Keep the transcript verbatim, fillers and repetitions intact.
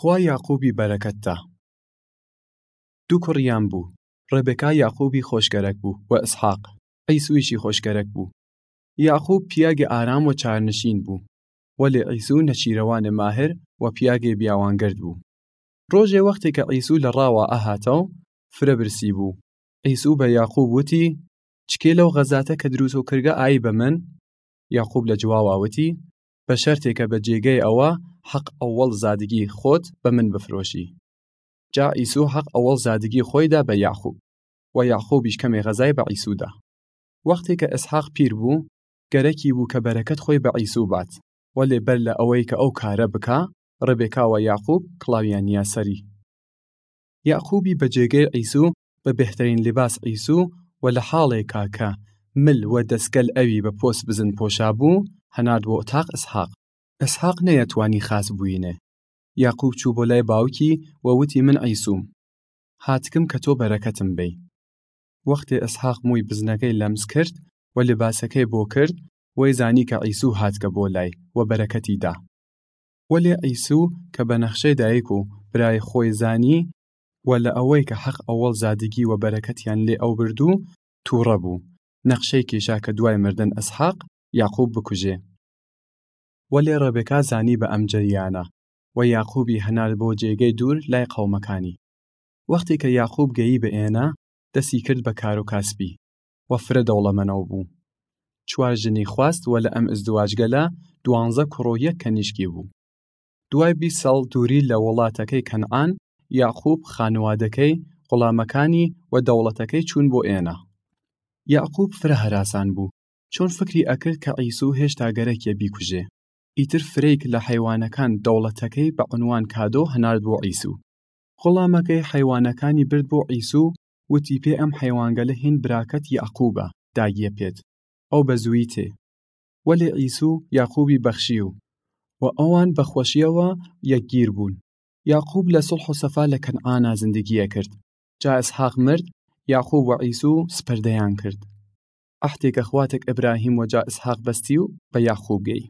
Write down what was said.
خوا یاقووبی بەرەکەت دا. دو کوڕیان بۊ، ربکا یاقووبی خوەشگەرەک بۊ و ئسحاق، عیسوویشی خوەشگەرەک بۊ. یاقووب پیاگێ ئارام و چارنشین بۊ، وەلێ عیسوو نەچیرەوانێ ماهر و پیاگێ بیاوانگەرد بۊ. روژێ وەختێ کە عیسوو لە راوا ئەهاتەو، فرە برسی بۊ. عیسوو بە یاقووب وتی، چکێ لەو غەزاتە کە دروسەو کردگە ئایی بە من؟ یاقووب لە جواوا وتی، بە شەرتێ کە بە جێگەێ ئەوە حەق ئەوەڵ زادگی خوەت بە من بفرۆشی. جا عیسوو حەق ئەوەڵ زادگی خوەی دا بە یاقووب، و یاقووبیش کەمێ غەزای بە عیسوو دا. وەختێ کە ئسحاق پیر بۊ، گەرەکی بۊ کە بەرەکەت خوەی بە عیسوو بات، وەلێ بەر لە ئەوەی کە ئەو کارە بکا، ربکا و یاقووب کڵاویان نیا سەری. یاقووبی بە جێگەێ عیسوو بە بێهتەرین لباس عیسوو و لە حاڵێکا کە مل و دەسگەل ئەوی بە پۆس بزن پۆشا بۊ، هەنارد بۆ ئتاق ئسحاق. ئسحاق نەیەتوانی خاس بوینێ. یاقووب چوو بۆ لای باوکی و وتی، من عیسووم. هاتکم کە تۆ بەرەکەتم بەی. وەختێ ئسحاق موی بزنەکەی لەمس کرد و لباسەکەی بۆ کرد، وەی زانی کە عیسوو هاتگە بۆ لای و بەرەکەتی دا. وەلێ عیسوو کە بە نەخشەی دایک و برای خوەی زانی و لە ئەوەی کە حەق ئەوەڵ زادگی و بەرەکەتیان لێ ئەوبردوو، تووڕە بۊ، نەخشەی کیشا کە دوای مردن ئسحاق، یاقووب بکوژێ. وەلێ ربکا زانی بە ئەم جەریانە و یاقووبی هەنارد بۆ جێگەی دوور لای قەومەکانی. وەختێ کە یاقووب گەیی بە ئێنە، دەسی کرد بە کار و کاسبی و فرە دەوڵەمەنەو بۊ. چوار ژنی خواست و لە ئەم ئزدواجگەلە دوانزە کوڕ و یەک کەنیشکی بۊ. دوای بیست ساڵ دووری لە وڵاتەکەی کەنعان، یاقووب، خانوادەکەی، غوڵامەکانی و دەوڵەتەکەی چوون بۆ ئێنە. یاقووب فرە هەراسان بۊ، چۆن فکری ئەکرد کە عیسوو هێشتا گەرەکیە بیکوژێ. ئیتر فرەیک لە حەیوانەکان دەوڵەتەکەی بە عونوان کادۆ هەنارد بۆ عیسوو. غوڵامەکەی حەیوانەکانی برد بۆ عیسوو، وتی، پێ ئەم حەیوانگەلە هین براکەت یاقووبە، داگیە پێت. ئەو بە زووی تێ. وەلێ عیسوو یاقووبی بەخشیو و ئەوان بە خوەشیەوە یەکگیر بۊن. یاقووب لە سوڵح و سەفا لە کەنعانا زندگیە کرد. جا ئسحاق مرد، یاقووب و عیسوو سپردەیان کرد. عەهدێ کە خواتک ئبراهیم و جا ئسحاق بەستیو بە یاقووب گەی.